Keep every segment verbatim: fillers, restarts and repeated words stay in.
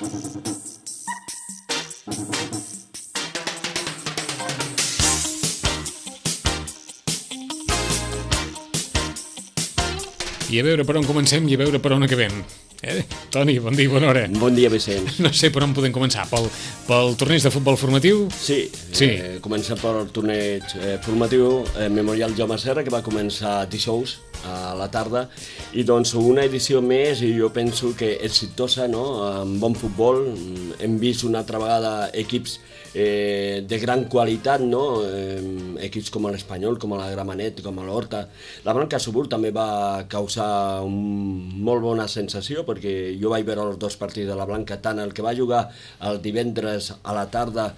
I a veure per on comencem i a veure per on acabem. Eh? Toni, bon dia i bona hora. Bon dia, Vicenç. No sé per on podem començar. Pel, pel torneig de futbol formatiu? Sí, sí. Eh, comença pel torneig eh, formatiu eh, Memorial Jaume Serra, que va començar dijous a la tarda, i doncs una edició més, i jo penso que exitosa, no?, amb bon futbol. Hem vist una altra vegada equips eh, de gran qualitat, no?, eh, equips com l'Espanyol, com la Gramenet, com l'Horta. La Blanca Subur també va causar un molt bona sensació, perquè jo vaig veure els dos partits de la Blanca, tant el que va jugar el divendres a la tarda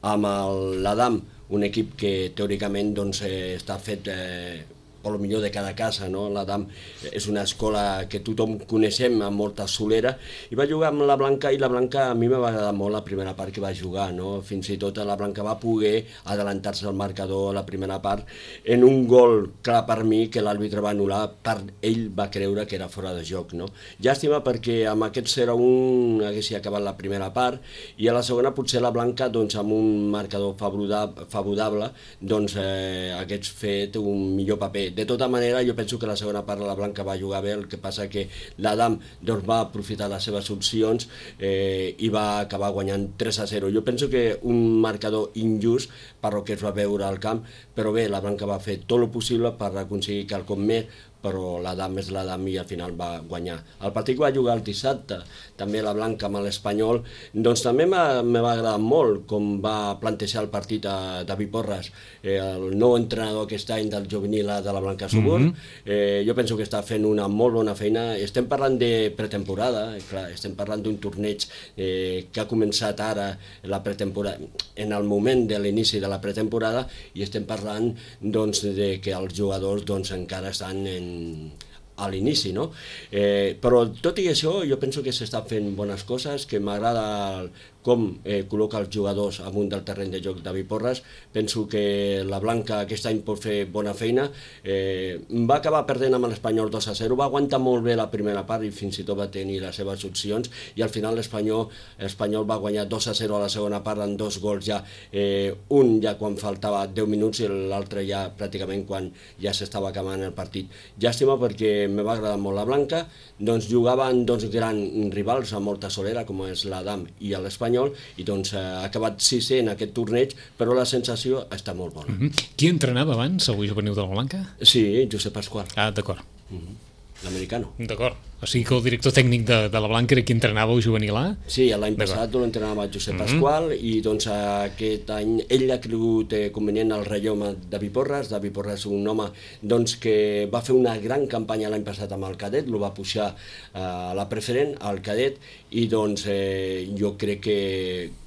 amb l'Adam, un equip que teòricament doncs, eh, està fet eh, per lo millor de cada casa, no? L'Adam és una escola que tothom coneixem amb molta solera, i va jugar amb la Blanca, i la Blanca a mi m'ha agradat molt la primera part que va jugar, no? Fins i tot la Blanca va poder adelantar-se al marcador a la primera part en un gol clar per mi que l'àrbitre va anul·lar, per ell va creure que era fora de joc, no? Llàstima, perquè amb aquest zero a un hagués acabat la primera part, i a la segona potser la Blanca, doncs, amb un marcador favorable, doncs eh, hagués fet un millor paper. De tota manera, jo penso que la segona part la Blanca va jugar bé, el que passa que l'Adam doncs, va aprofitar les seves opcions eh, i va acabar guanyant tres a zero. Jo penso que un marcador injust per el que es va veure al camp, però bé, la Blanca va fer tot el possible per aconseguir quelcom més, però l'Adam és l'Adam i al final va guanyar. El partit que va jugar el dissabte, també la Blanca amb l'Espanyol, doncs també me va agradar molt com va plantejar el partit a David Porras, eh, el nou entrenador aquest any del juvenil de la Blanca Subur. Mm-hmm. eh, jo penso que està fent una molt bona feina. Estem parlant de pretemporada, clar, estem parlant d'un torneig eh, que ha començat ara la pretemporada, en el moment de l'inici de la pretemporada, i estem parlant doncs, de que els jugadors doncs, encara estan en a l'inici, no? Eh, però tot i això jo penso que s'estan fent bones coses, que m'agrada com eh, col·loca els jugadors amunt del terreny de joc David Porras. Penso que la Blanca aquest any pot fer bona feina. Eh, va acabar perdent amb l'Espanyol dos a zero, va aguantar molt bé la primera part i fins i tot va tenir les seves opcions, i al final l'Espanyol l'Espanyol va guanyar dos a zero a la segona part amb dos gols ja, eh, un ja quan faltava deu minuts i l'altre ja pràcticament quan ja s'estava acabant el partit. Llàstima, perquè me va agradar molt la Blanca, doncs jugaven dos grans rivals amb molta solera, com és l'Adam i l'Espanyol, i doncs ha acabat sisè en aquest torneig, però la sensació està molt bona. Mm-hmm. Qui entrenava abans, avui juvenil de la Blanca? Sí, Josep Pasqual. Ah, d'acord. Mm-hmm. L'americano. D'acord. O sigui que el director tècnic de, de la Blanca era qui entrenava el juvenil A? Sí, l'any passat l'entrenava Josep Pasqual, mm-hmm. i doncs aquest any ell ha cregut eh, convenient el relleu amb David Porras. David Porras és un home doncs, que va fer una gran campanya l'any passat amb el cadet, el va pujar eh, a la preferent, al cadet, i doncs eh, jo crec que,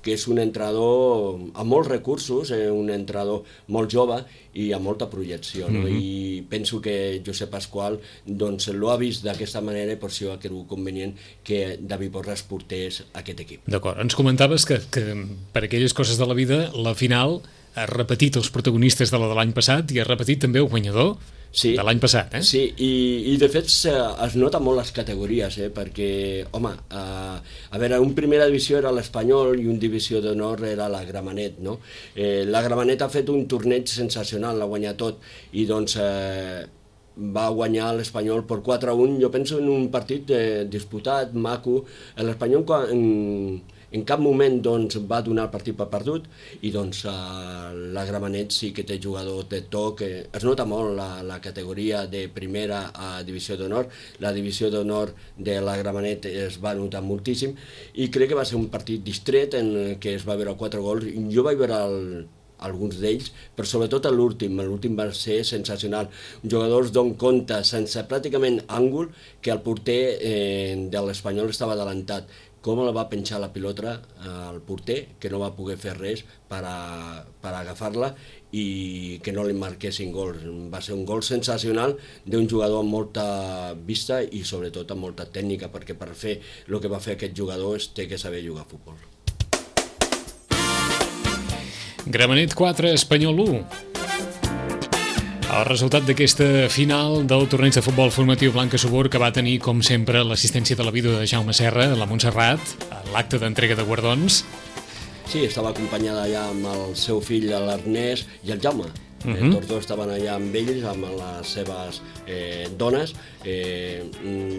que és un entrenador amb molts recursos, eh, un entrenador molt jove i amb molta projecció, no? Mm-hmm. I penso que Josep Pasqual doncs, l'ho ha vist d'aquesta manera, per això ha cregut convenient que David Porras portés aquest equip. D'acord, ens comentaves que, que per aquelles coses de la vida la final ha repetit els protagonistes de la de l'any passat i ha repetit també el guanyador sí, de l'any passat, eh? Sí, i, i de fet es nota molt les categories, eh? Perquè, home, eh, a veure, un primera divisió era l'Espanyol i un divisió d'honor era la Gramenet, no? Eh, la Gramenet ha fet un torneig sensacional, l'ha guanyat tot, i doncs eh, va guanyar l'Espanyol per quatre a un, jo penso en un partit eh, disputat, maco. L'Espanyol en, en cap moment doncs, va donar el partit per perdut, i doncs eh, la Gramenet sí que té jugadors de toc, eh, es nota molt la, la categoria de primera a divisió d'honor. La divisió d'honor de la Gramenet es va notar moltíssim, i crec que va ser un partit distret en què es va veure quatre gols. Jo vaig veure el alguns d'ells, però sobretot l'últim, l'últim va ser sensacional. Jugadors d'on compte, sense pràcticament àngul, que el porter eh, de l'Espanyol estava adelantat. Com la va penjar la pilota al porter, que no va poder fer res per, a, per agafar-la i que no li marquessin gols. Va ser un gol sensacional d'un jugador amb molta vista i sobretot amb molta tècnica, perquè per fer el que va fer aquest jugador es té que saber jugar a futbol. Gramenet quatre, Espanyol u. El resultat d'aquesta final del torneig de futbol formatiu Blanca Subur, que va tenir, com sempre, l'assistència de la vídua de Jaume Serra, la Montserrat, a l'acte d'entrega de guardons. Sí, estava acompanyada allà amb el seu fill, l'Ernest, i el Jaume. Uh -huh. eh, tots dos estaven allà amb ells, amb les seves eh, dones, eh,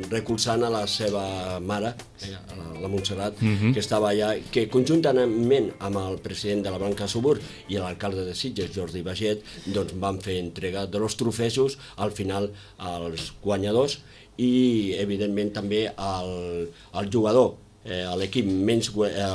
recolzant a la seva mare, eh, la, la Montserrat, uh -huh. que estava allà, que conjuntament amb el president de la Blanca Subur i l'alcalde de Sitges, Jordi Baget, doncs van fer entrega de los trofeus al final als guanyadors i, evidentment, també al, al jugador, Eh, l'equip menys,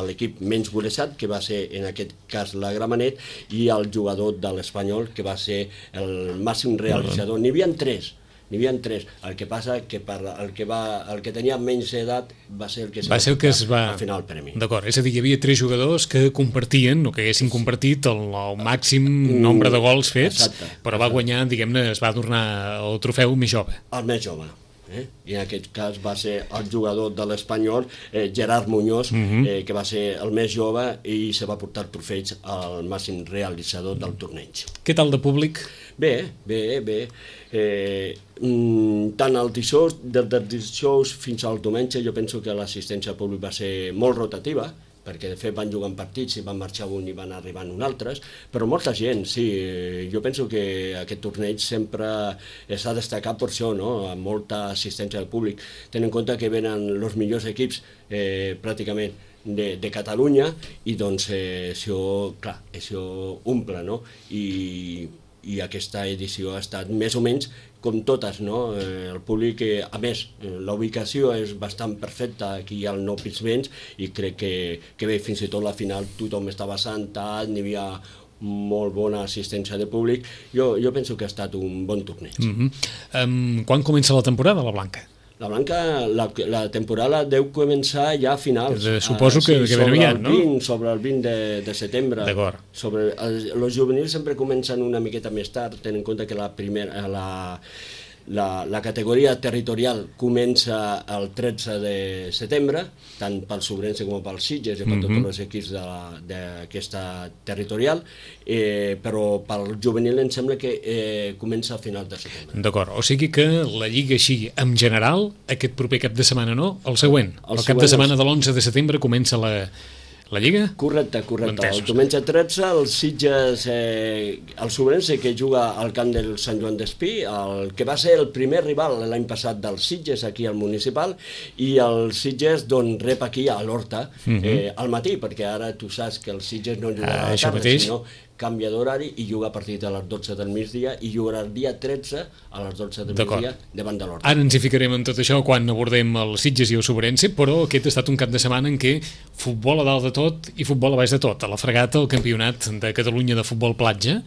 l'equip menys golejat, que va ser en aquest cas la Gramenet, i el jugador de l'Espanyol, que va ser el màxim realitzador. N'hi havia tres, n'hi havia tres. El que passa que per el que, va, el que tenia menys edat va ser el que, va ser el que es va... al final el premi. D'acord, és a dir, hi havia tres jugadors que compartien, o que haguessin compartit el, el màxim nombre de gols fets, exacte, però va guanyar, diguem-ne, es va adornar el trofeu més jove. El més jove. Eh? I en aquest cas va ser el jugador de l'Espanyol, eh, Gerard Muñoz, uh -huh. eh, que va ser el més jove i se va portar trofeig al màxim realitzador del torneig. Què tal de públic? Bé, bé, bé. Eh, mm, tant el dijous, des del dijous fins al diumenge, jo penso que l'assistència al públic va ser molt rotativa, perquè de fet van jugant partits i van marxar un i van arribant un altres, però molta gent, sí, jo penso que aquest torneig sempre s'ha destacat per això, no? Amb molta assistència al públic, tenint en compte que venen els millors equips eh, pràcticament de, de Catalunya i doncs eh, això, clar, això omple, no? I, i aquesta edició ha estat més o menys com totes, no? Eh, el públic, eh, a més, eh, la ubicació és bastant perfecta aquí al Nou Pinsbens i crec que, que bé, fins i tot la final tothom estava assentat, n'hi havia molt bona assistència de públic. Jo, jo penso que ha estat un bon torneig. Mm-hmm. um, quan comença la temporada, la Blanca? La Blanca, la, la temporada deu començar ja a finals. De, suposo que, uh, sí, que ben aviat, no? vint, sobre el vint de, de setembre. D'acord. Sobre els, els juvenils sempre comencen una miqueta més tard, tenint en compte que la primera... La, La, la categoria territorial comença el tretze de setembre, tant pel Sobrense com pel Sitges i per mm-hmm. tots els equips d'aquesta territorial, eh, però pel juvenil em sembla que eh, comença a final de setembre. D'acord, o sigui que la Lliga així, en general, aquest proper cap de setmana no, el següent, el, el cap de setmana de l'onze de setembre comença la... La Lliga? Correcte, correcte. El diumenge tretze, el Sitges, eh, el Sobrense, que juga al camp del Sant Joan d'Espí, el que va ser el primer rival l'any passat del Sitges, aquí al municipal, i el Sitges doncs, rep aquí a l'Horta uh-huh. eh, al matí, perquè ara tu saps que el Sitges no jugarà ah, a la tarda, mateix. Sinó canvia d'horari i juga a partir de les dotze del migdia i jugarà el dia tretze a les dotze del migdia davant de l'Horta. Ara ens hi ficarem en tot això quan abordem el Sitges i el Sobrense, però aquest ha estat un cap de setmana en què futbol a dalt de tot i futbol a baix de tot. A la Fregata, el campionat de Catalunya de futbol platja,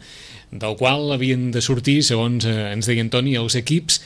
del qual havien de sortir, segons eh, ens deia Antoni, els equips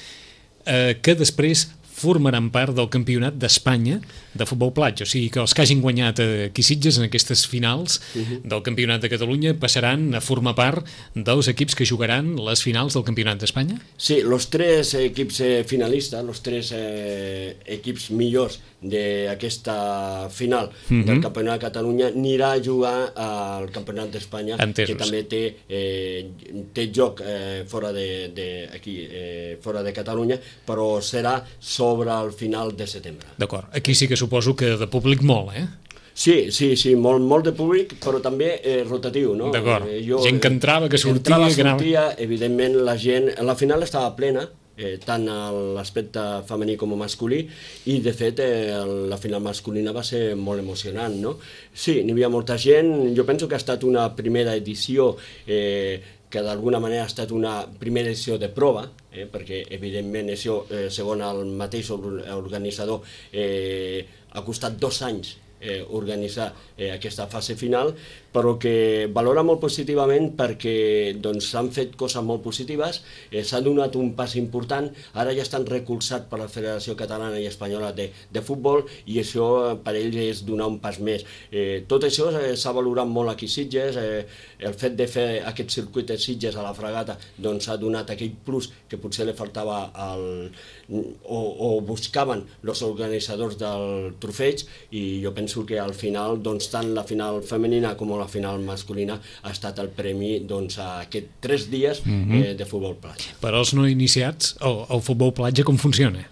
eh, que després formaran part del campionat d'Espanya de futbol platja, o sigui que els que hagin guanyat aquí Sitges en aquestes finals uh-huh. del campionat de Catalunya passaran a formar part dels equips que jugaran les finals del campionat d'Espanya? Sí, els tres equips eh, finalistes, els tres eh, equips millors d'aquesta final uh-huh. del campionat de Catalunya anirà a jugar al campionat d'Espanya, que també té, eh, té joc eh, fora de, de, aquí, eh, fora de Catalunya, però serà sobre el final de setembre. D'acord, aquí sí que suposo que de públic molt, eh? Sí, sí, sí, molt, molt de públic, però també eh, rotatiu, no? D'acord, eh, jo, gent que entrava, que sortia... Entrava, que anava... sortia, evidentment la gent... La final estava plena, eh, tant a l'aspecte femení com masculí, i de fet eh, la final masculina va ser molt emocionant, no? Sí, n'hi havia molta gent, jo penso que ha estat una primera edició eh, que d'alguna manera ha estat una primera edició de prova, eh, perquè evidentment això, eh, segons el mateix organitzador, eh, ha costat dos anys eh, organitzar eh, aquesta fase final, però que valora molt positivament perquè doncs, s'han fet coses molt positives, eh, s'ha donat un pas important, ara ja estan recolzats per la Federació Catalana i Espanyola de, de Futbol i això per ells és donar un pas més. Eh, tot això eh, s'ha valorat molt aquí a Sitges, eh, el fet de fer aquest circuit de Sitges a la Fregata doncs ha donat aquell plus que potser li faltava al, o, o buscaven els organitzadors del trofeig i jo penso penso que al final, doncs, tant la final femenina com la final masculina ha estat el premi, doncs, a aquests tres dies mm-hmm. eh, de futbol platja. Per als no iniciats, el, el futbol platja com funciona?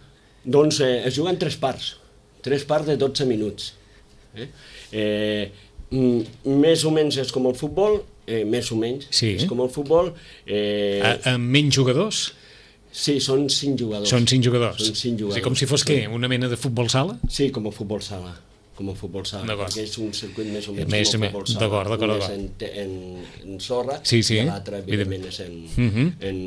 Doncs eh, es juguen tres parts, tres parts de dotze minuts. Eh? Eh, més o menys és com el futbol, eh, més o menys sí. és com el futbol. Eh... A, amb menys jugadors? Sí, són cinc jugadors. Són cinc jugadors. Són cinc jugadors. O sigui, com si fos sí. què? Una mena de futbol sala? Sí, com a futbol sala. Com a futbol sala, perquè és un circuit més o menys més, com a futbol sala. D'acord, d'acord, d'acord. Un és en, en, en sorra sí, sí. i l'altre, evidentment, és en, uh-huh. en,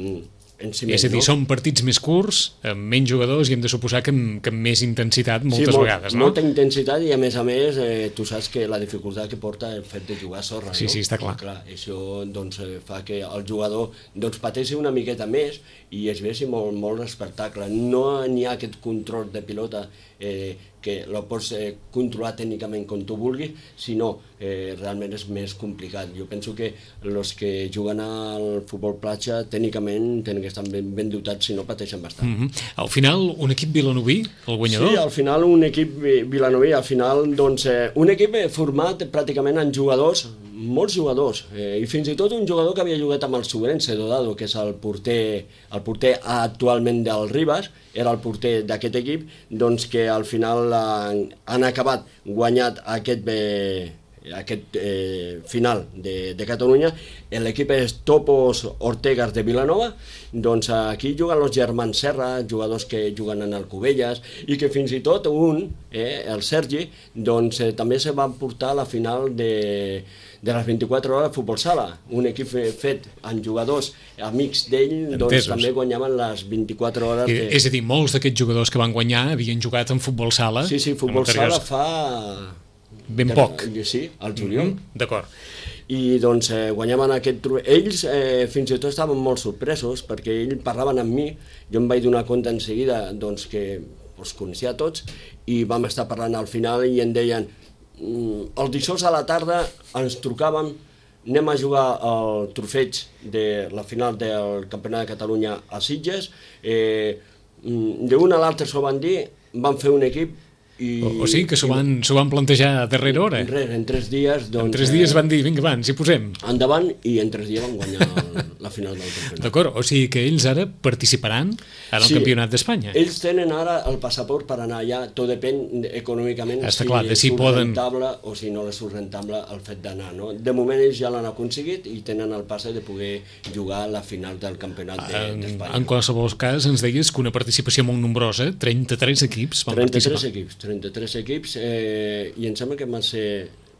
en ciment. És a dir, no? són partits més curts, amb menys jugadors i hem de suposar que amb, que amb més intensitat moltes sí, molt, vegades, no? molta intensitat i a més a més eh, tu saps que la dificultat que porta el fet de jugar a sorra, sí, no? Sí, està clar. I, clar, això doncs, fa que el jugador doncs, pateixi una miqueta més i es vegi molt, molt espectacle. No n'hi ha aquest control de pilota eh, que el pots eh, controlar tècnicament com tu vulguis, sinó eh, realment és més complicat. Jo penso que els que juguen al futbol platja tècnicament tenen que estar ben, ben dotats, si no pateixen bastant. Mm-hmm. Al final, un equip vilanoví, el guanyador? Sí, al final un equip vilanoví, al final doncs, eh, un equip format pràcticament en jugadors, molts jugadors, eh, i fins i tot un jugador que havia jugat amb el Sobrense Dodado, que és el porter, el porter actualment del Ribas, era el porter d'aquest equip, doncs que al final han, han acabat guanyat aquest, eh, aquest eh, final de, de Catalunya. L'equip és Topos Ortegas de Vilanova, doncs aquí juguen els germans Serra, jugadors que juguen en Alcubelles, i que fins i tot un, eh, el Sergi, doncs eh, també se va portar a la final de de les vint-i-quatre hores de futbol sala, un equip fet amb jugadors amics d'ell, doncs també guanyaven les vint-i-quatre hores de... És a dir, molts d'aquests jugadors que van guanyar havien jugat en futbol sala? Sí, sí, futbol sala fa... Ben poc. Sí, al juliol. Mm-hmm. D'acord. I doncs eh, guanyaven aquest... Ells eh, fins i tot estaven molt sorpresos perquè ells parlaven amb mi, jo em vaig donar compte en seguida doncs, que els coneixia tots i vam estar parlant al final i em deien el dijous a la tarda ens trucàvem, anem a jugar al trofeig de la final del Campionat de Catalunya a Sitges, eh, d'una a l'altra s'ho van dir, van fer un equip i... O, o sigui que s'ho van, van plantejar a darrera hora? En, res, en tres dies... Doncs, en tres dies van dir, vinga, va, ens hi posem. Endavant, i en tres dies van guanyar el, la final del campionat. D'acord, o sigui que ells ara participaran en el sí, Campionat d'Espanya. Ells tenen ara el passaport per anar allà, tot depèn econòmicament Està si clar, de si surt poden... rentable o si no és rentable el fet d'anar. No? De moment ells ja l'han aconseguit i tenen el passe de poder jugar a la final del Campionat d'Espanya. En, en qualsevol cas, ens deies que una participació molt nombrosa, trenta-tres equips van trenta-tres participar. equips, trenta-tres equips, eh, i em sembla que van ser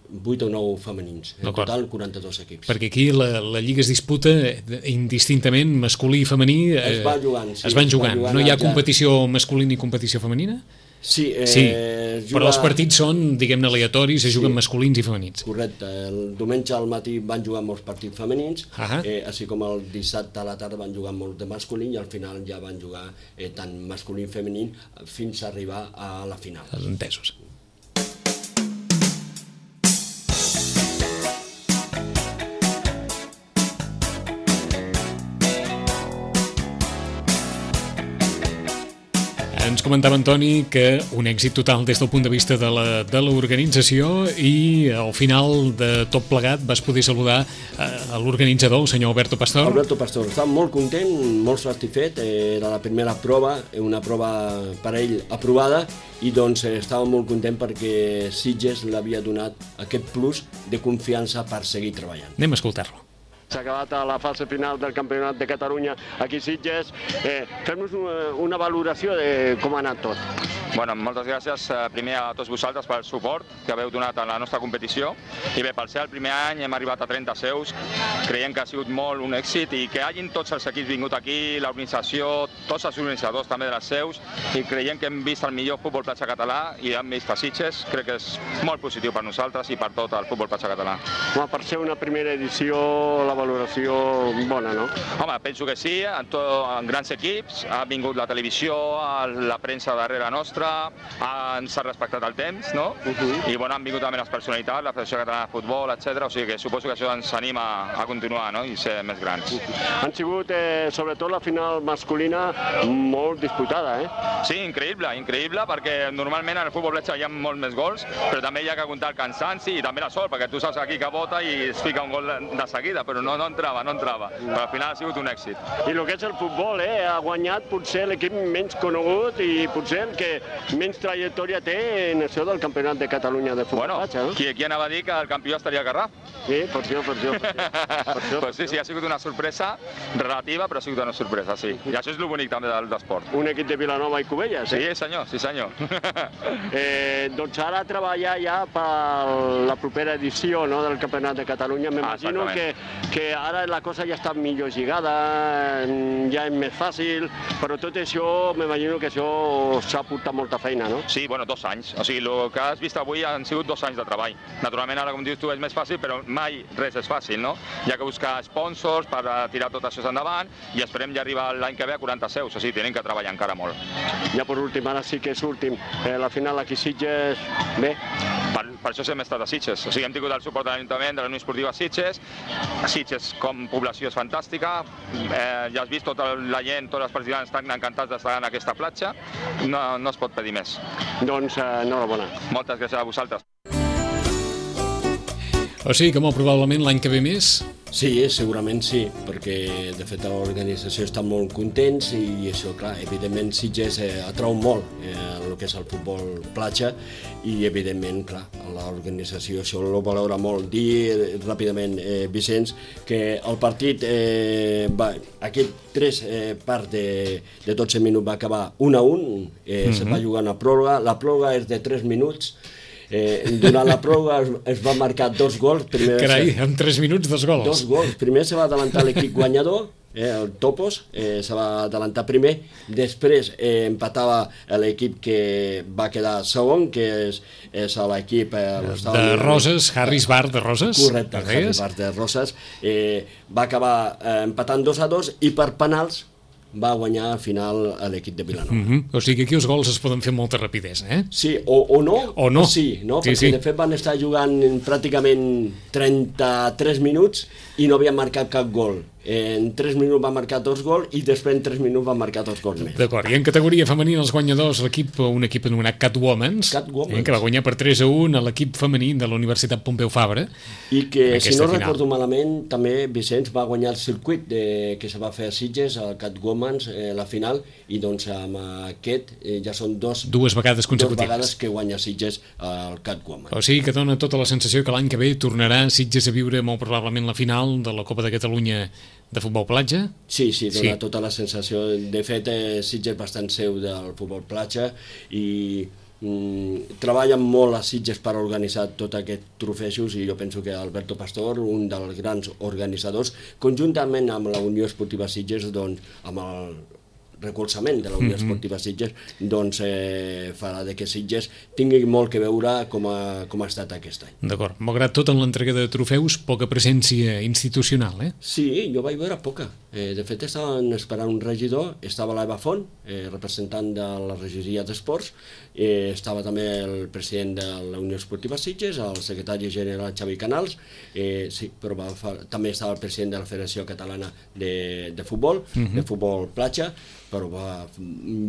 vuit o nou femenins, en total quaranta-dos equips. Perquè aquí la, la Lliga es disputa indistintament masculí i femení. Eh, es va jugant, sí. Es van jugant. Es va jugant no hi ha ja... competició masculina i competició femenina? Sí, eh, sí juga... però els partits són, diguem-ne, aleatoris, es juguen sí, masculins i femenins. Correcte. El diumenge al matí van jugar molts partits femenins, uh-huh. eh, així com el dissabte a la tarda van jugar molt de masculí i al final ja van jugar eh, tant masculí i femení fins a arribar a la final. Entesos. Ens comentava Antoni que un èxit total des del punt de vista de la, de l'organització i al final de tot plegat vas poder saludar eh, l'organitzador, el senyor Alberto Pastor. Alberto Pastor, estava molt content, molt satisfet, era la primera prova, una prova per a ell aprovada i doncs estava molt content perquè Sitges l'havia donat aquest plus de confiança per seguir treballant. Anem a escoltar-lo. S'ha acabat a la fase final del Campionat de Catalunya aquí a Sitges. Eh, Fem-nos una, una valoració de com ha anat tot. Bueno, moltes gràcies primer a tots vosaltres pel suport que haveu donat a la nostra competició. I bé, per ser el primer any hem arribat a trenta seus, creiem que ha sigut molt un èxit i que hagin tots els equips vingut aquí, l'organització, tots els organitzadors també de les seus, i creiem que hem vist el millor futbol platja català i hem vist a Sitges, crec que és molt positiu per nosaltres i per tot el futbol platja català. Home, per ser una primera edició, la valoració bona, no? Home, penso que sí, en, to, en grans equips, ha vingut la televisió, la premsa darrere nostra, nostre, ens s'ha respectat el temps, no? I bueno, han vingut també les personalitats, la Federació Catalana de Futbol, etcètera. O sigui que suposo que això ens anima a continuar, no? I ser més grans. Han sigut, eh, sobretot la final masculina, molt disputada, eh? Sí, increïble, increïble, perquè normalment en el futbol platja hi ha molts més gols, però també hi ha que comptar el cansanci i també la sort, perquè tu saps aquí que vota i es fica un gol de seguida, però no, no entrava, no entrava. Però al final ha sigut un èxit. I el que és el futbol, eh? Ha guanyat potser l'equip menys conegut i potser el que menys trajectòria té en això del Campionat de Catalunya de futbol bueno, platja, no? Qui, qui anava a dir que el campió estaria a Garraf? Sí, per això, per això. Per això, pues sí, sí, ha sigut una sorpresa relativa, però ha sigut una sorpresa, sí. I això és el bonic també del esport. Un equip de Vilanova i Cubelles, eh? Sí, senyor, sí senyor. eh, doncs ara treballar ja per la propera edició, no, del Campionat de Catalunya. M'imagino ah, que, que ara la cosa ja està millor lligada, ja és més fàcil, però tot això, m'imagino que això s'ha portat molta feina, no? Sí, bueno, dos anys. O sigui, el que has vist avui han sigut dos anys de treball. Naturalment, ara, com dius tu, és més fàcil, però mai res és fàcil, no? Hi ha que buscar sponsors per tirar tot això endavant i esperem ja arribar l'any que ve a quaranta seus, o sigui, tenim que treballar encara molt. Ja per últim, ara sí que és últim, eh, la final aquí Sitges, bé? Per, per això hem estat a Sitges, o sigui, hem tingut el suport de l'Ajuntament, de la Unió Esportiva Sitges. Sitges com població és fantàstica, eh, ja has vist tota la gent, tots els participants estan encantats d'estar en aquesta platja, no, no es pot pedir més. Doncs eh, enhorabona. Moltes gràcies a vosaltres. O sigui que molt probablement l'any que ve més? Sí, segurament sí, perquè de fet l'organització està molt contents i això, clar, evidentment Sitges eh, atrau molt eh, el que és el futbol platja i evidentment, clar, l'organització això ho valora molt. Dir eh, ràpidament, eh, Vicenç, que el partit, eh, va, aquest tres eh, parts de, de dotze minuts va acabar un a un, eh, mm-hmm. se va jugar una pròrroga, la pròrroga és de tres minuts. Eh, durant la pròrroga es, es va marcar dos gols. Primer Carai, en tres minuts dos gols. Dos gols. Primer se va adelantar l'equip guanyador, eh, el Topos, eh, se va adelantar primer. Després eh, empatava l'equip que va quedar segon, que és, és l'equip... Eh, de Roses, Harris Bar de Roses. Correcte, Harris Bar de Roses. Eh, va acabar eh, empatant dos a dos i per penals va guanyar al final l'equip de Vilanova. Mm-hmm. O sigui que aquí els gols es poden fer amb molta rapidesa, eh? Sí, o, o no, o no. Sí, no? Sí, perquè sí. de fet van estar jugant pràcticament trenta-tres minuts i no havien marcat cap gol. En tres minuts va marcar dos gols i després en tres minuts va marcar dos gols més. D'acord, i en categoria femenina els guanyadors, l'equip, un equip anomenat Catwomans, Catwomans. Eh, que va guanyar per tres a un a l'equip femení de la Universitat Pompeu Fabra. I que, si no final. recordo malament, també Vicenç va guanyar el circuit de, que se va fer a Sitges, al Catwomans, eh, la final, i doncs amb aquest eh, ja són dos, dues vegades consecutives. Dues vegades que guanya Sitges al Catwomans. O sigui que dona tota la sensació que l'any que ve tornarà Sitges a viure molt probablement la final de la Copa de Catalunya de futbol platja? Sí, sí, dona sí. tota la sensació. De fet, eh, Sitges és bastant seu del futbol platja i mm, treballen molt a Sitges per organitzar tot aquests trofejos i jo penso que Alberto Pastor, un dels grans organitzadors, conjuntament amb la Unió Esportiva Sitges, doncs, amb el recolzament de la Unió Esportiva Sitges, doncs eh, farà de que Sitges tingui molt que veure com ha, com ha estat aquest any. D'acord. Malgrat tot, en l'entrega de trofeus, poca presència institucional, eh? Sí, jo vaig veure poca. Eh, de fet, estaven esperant un regidor, estava l'Eva Font, eh, representant de la regidoria d'Esports, eh, estava també el president de la Unió Esportiva Sitges, el secretari general Xavi Canals, eh, sí, però va, fa, també estava el president de la Federació Catalana de, de Futbol, uh-huh. de futbol platja, però va,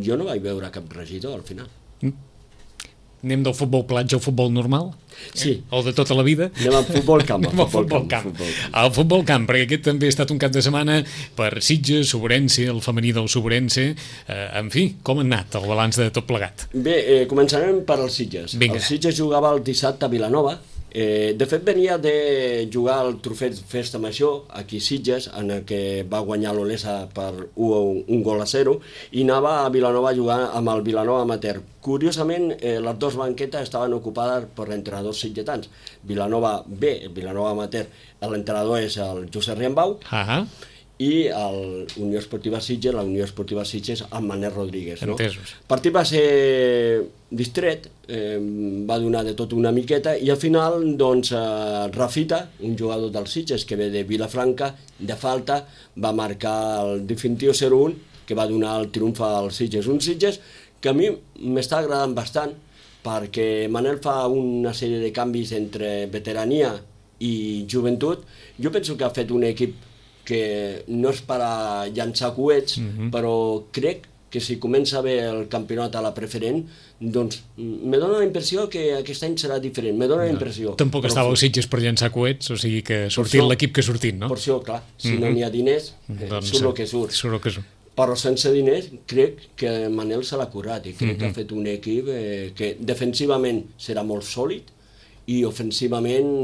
jo no vaig veure cap regidor al final. Mm. Anem del futbol platja al futbol normal? Sí. Eh? O de tota la vida? Anem al futbol camp. Anem al futbol, futbol camp. camp. Al futbol camp, perquè aquest també ha estat un cap de setmana per Sitges, Soberense, el femení del Soberense, eh, en fi, com ha anat el balanç de tot plegat? Bé, eh, començarem per els Sitges. Vinga. El Sitges jugava el dissabte a Vilanova. Eh, de fet, venia de jugar el trofeu Festa Major aquí a Sitges, en el que va guanyar l'Olesa per un, un gol a zero, i anava a Vilanova a jugar amb el Vilanova Amateur. Curiosament, eh, les dues banquetes estaven ocupades per entrenadors sitgetans. Vilanova B, Vilanova Amateur, l'entrenador és el Josep Riambau, ah i la Unió Esportiva Sitges, la Unió Esportiva Sitges amb Manel Rodríguez. No? Entesos. El partit va ser distret, eh, va donar de tot una miqueta, i al final, doncs, eh, Rafita, un jugador del Sitges que ve de Vilafranca, de falta, va marcar el definitiu zero un, que va donar el triomf al Sitges. Un Sitges que a mi m'està agradant bastant, perquè Manel fa una sèrie de canvis entre veterania i joventut. Jo penso que ha fet un equip que no és per a llançar coets, mm-hmm. però crec que si comença bé el campionat a la preferent, doncs me dóna la impressió que aquest any serà diferent, me dóna la impressió. Tampoc però estava als Sitges per llançar coets, o sigui que sortint l'equip que ha sortit, no? Per això, clar, si mm-hmm. no n'hi ha diners, eh, doncs, surt el que surt. Surt el que surt. Però sense diners crec que Manel se l'ha currat i crec mm-hmm. que ha fet un equip eh, que defensivament serà molt sòlid i ofensivament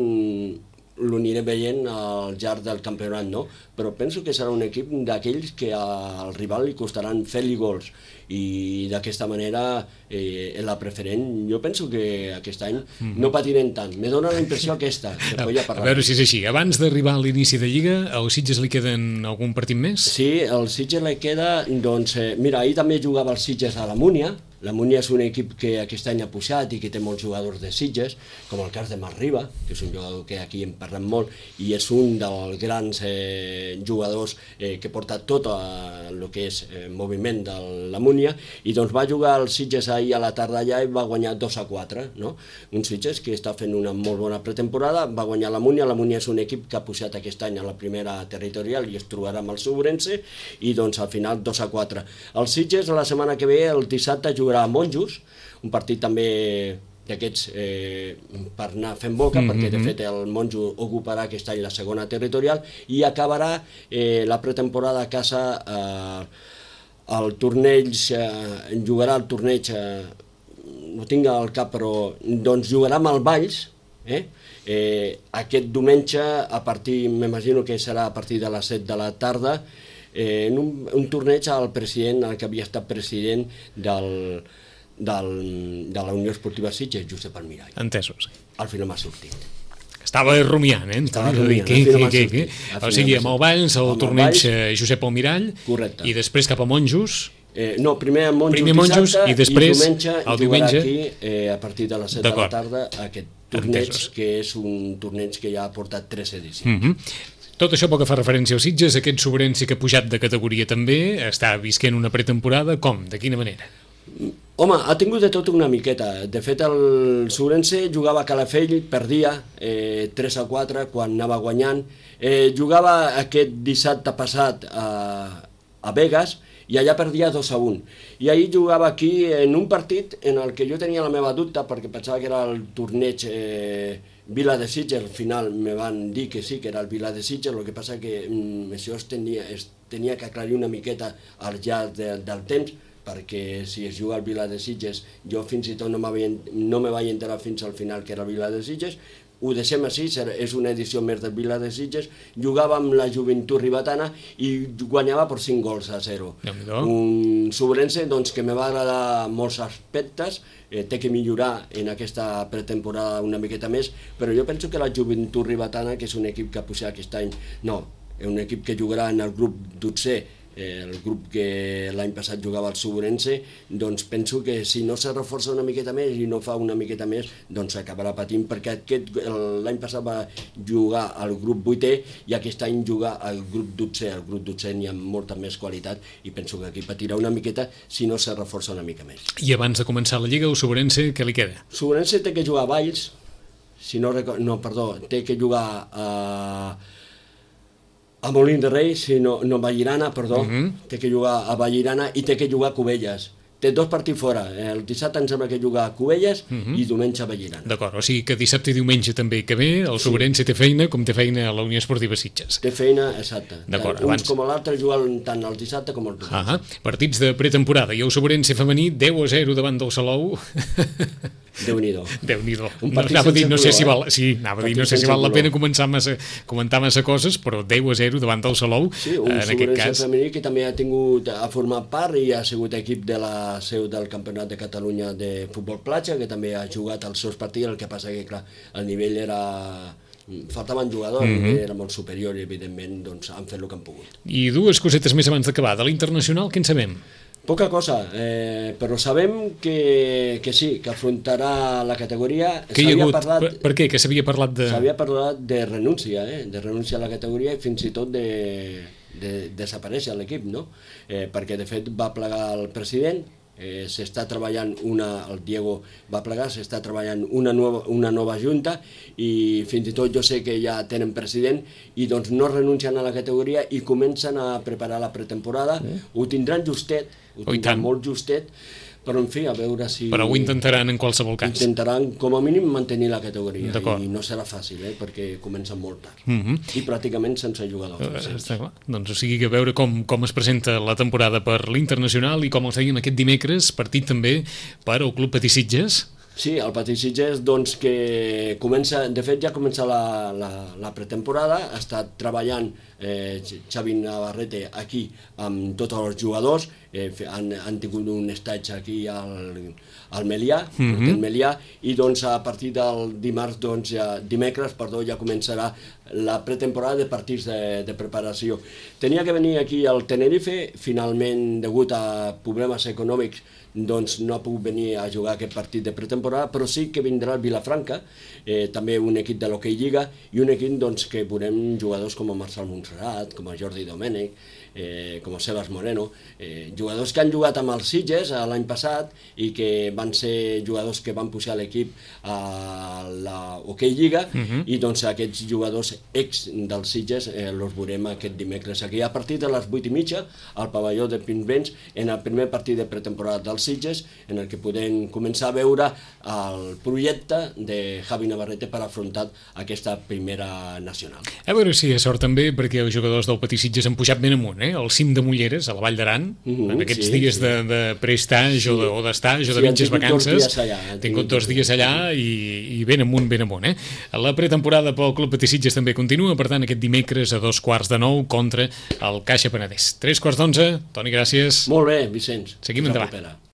l'aniré veient al llarg del campionat, no? Però penso que serà un equip d'aquells que al rival li costaran fer-li gols i d'aquesta manera eh, en la preferent jo penso que aquest any mm-hmm. no patirem tant. Me dóna la impressió aquesta. Que a, a veure si és així. Abans d'arribar a l'inici de Lliga, al Sitges li queden algun partit més? Sí, al Sitges li queda, doncs, eh, mira, ahir també jugava el Sitges a la Múnia. La Múnia és un equip que aquest any ha pujat i que té molts jugadors de Sitges, com el cas de Marc Riba, que és un jugador que aquí en parlem molt, i és un dels grans eh, jugadors eh, que porta tot el que és eh, moviment de la Múnia, i doncs va jugar el Sitges ahir a la tarda allà i va guanyar dos a quatre, no? Un Sitges que està fent una molt bona pretemporada, va guanyar la Múnia. La Múnia és un equip que ha pujat aquest any a la primera territorial i es trobarà amb el Sobrense, i doncs al final dos a quatre. El Sitges la setmana que ve, el dissabte, jugarà a Monjos, un partit també d'aquests eh, per anar fent boca, mm-hmm. perquè de fet el Monjo ocuparà aquest any la segona territorial i acabarà eh, la pretemporada a casa eh, el torneig, eh, jugarà el torneig, eh, no tinc al cap, però doncs jugarà amb el Valls, eh? Eh, aquest diumenge, a partir, m'imagino que serà a partir de les set de la tarda, Eh, en un, un torneig al president, el que havia estat president del, del, de la Unió Esportiva Sitges, Josep Almirall. Entesos. Al final m'ha sortit. Estava rumiant, eh? Estava rumiant. Què, què, què, què? O sigui, amb el Valls, el torneig Josep Almirall, correcte. I després cap a Monjos. Eh, no, primer a Monjos, primer Monjos dissabte, i després i diumenge, el diumenge aquí eh, a partir de les set de la tarda aquest torneig, entesos. Que és un torneig que ja ha portat tres edicions. Mm-hmm. Tot això pel que fa referència als Sitges, aquest Sobrense que ha pujat de categoria també, està visquent una pretemporada, com? De quina manera? Home, ha tingut de tot una miqueta. De fet, el Sobrense jugava a Calafell, perdia eh, tres a quatre quan anava guanyant. Eh, jugava aquest dissabte passat a, a Vegas i allà perdia dos a un. I ahir jugava aquí en un partit en el que jo tenia la meva dubte perquè pensava que era el torneig eh, Vila de Sitges. Al final me van dir que sí, que era el Vila de Sitges, el que passa que mm, això es tenia, es tenia que aclarir una miqueta al llarg de, del temps, perquè si es juga al Vila de Sitges, jo fins i tot no, no me vaig enterar fins al final que era el Vila de Sitges. Ho deixem així, és una edició més del Vila de Sitges, jugava amb la Joventut Ribetana i guanyava per cinc gols a zero. Un Sobrense doncs, que me va agradar molts aspectes, eh, té que millorar en aquesta pretemporada una miqueta més, però jo penso que la Joventut Ribetana, que és un equip que ha pujat aquest any, no, és un equip que jugarà en el grup dotzè, el grup que l'any passat jugava al Sobrense, doncs penso que si no se reforça una miqueta més i no fa una miqueta més, doncs acabarà patint, perquè l'any passat va jugar al grup vuitè i aquest any jugar al grup dotzè. Al grup dotzè n'hi ha molta més qualitat i penso que aquí patirà una miqueta si no se reforça una mica més. I abans de començar la Lliga, el Sobrense, què li queda? Sobrense té que jugar a Valls, si no, no, perdó, té que jugar a... a Molins de Rei, si no, no Vallirana, perdó, uh-huh. té que jugar a Vallirana i té que jugar a Cubelles. Té dos partits fora, el dissabte em sembla que juga a Cubelles uh-huh. i diumenge a Vallirana. D'acord, o sigui que dissabte i diumenge també que ve, el sí. Sobrense té feina com té feina a la Unió Esportiva Sitges. Té feina, exacte. D'acord, uns abans... com l'altre juguen tant el dissabte com el diumenge. Ah, partits de pretemporada i el Sobrense femení deu a zero davant del Salou. Déu-n'hi-do. Déu-n'hi-do. No, anava a dir, no sé si val, sí, anava a dir, no sé si val la pena començar massa, comentar massa coses, però deu a zero davant del Salou, sí, un en aquest cas. Femení que també ha tingut, ha format part i ha sigut equip de la seu del Campionat de Catalunya de futbol platja, que també ha jugat els seus partits, el que passa que, clar, el nivell era... faltaven jugadors, mm-hmm. era molt superior i, evidentment, doncs, han fet el que han pogut. I dues cosetes més abans d'acabar. De l'internacional, què en sabem? Poca cosa, eh, però sabem que, que sí, que afrontarà la categoria. Que hi ha hagut? Parlat, per, per què? Que s'havia parlat de... S'havia parlat de renúncia, eh? de renúncia a la categoria i fins i tot de, de desaparèixer l'equip, no? Eh, perquè de fet va plegar el president eh, s'està treballant una, el Diego va plegar, s'està treballant una nova, una nova junta i fins i tot jo sé que ja tenen president i doncs no renuncien a la categoria i comencen a preparar la pretemporada, mm. ho tindran justet, ho tindran molt justet, però en fi, a veure si... Però ho intentaran en qualsevol cas. Intentaran, com a mínim, mantenir la categoria, i no serà fàcil, eh, perquè comencen molt tard. Mm -hmm. I pràcticament sense jugadors. Uh, està clar. Doncs o sigui que a veure com, com es presenta la temporada per l'Internacional i com els dèiem aquest dimecres, partit també per al Club Patí Sitges. Sí, el Patí Sitges, doncs, que comença, de fet ja comença la, la, la pretemporada, ha estat treballant eh, Xavi Navarrete aquí amb tots els jugadors, eh, han, han tingut un estatge aquí al, al Melià, mm-hmm. al Melià, i doncs a partir del dimarts, doncs, ja, dimecres, perdó, ja començarà la pretemporada de partits de, de preparació. Tenia que venir aquí al Tenerife, finalment, degut a problemes econòmics, doncs no ha pogut venir a jugar aquest partit de pretemporada, però sí que vindrà el Vilafranca, eh, també un equip de l'Hockey Lliga, i un equip doncs, que veurem jugadors com a Marçal Montserrat, com a Jordi Domènech, eh, com a Sebas Moreno, eh, jugadors que han jugat amb els Sitges l'any passat i que van ser jugadors que van pujar l'equip a l'Hockey Lliga, uh-huh. i doncs aquests jugadors ex dels Sitges eh, els veurem aquest dimecres aquí a partir de les vuit i mitja al pavelló de Pinsbens en el primer partit de pretemporada dels Sitges, en el que podem començar a veure el projecte de Javi Navarrete per afrontar aquesta primera nacional. A veure si hi ha sort també, perquè els jugadors del Patí Sitges han pujat ben amunt, eh? Al cim de Mulleres, a la Vall d'Aran, mm-hmm, en aquests sí, dies sí. de, de prestage sí. o de, o d'estage o de sí, mitges vacances. Han tingut dos dies allà i, i ben amunt, ben amunt. Eh? La pretemporada pel Club Patí Sitges també continua, per tant, aquest dimecres a dos quarts de nou contra el Caixa Penedès. Tres quarts d'onze. Toni, gràcies. Molt bé, Vicenç. Seguim endavant.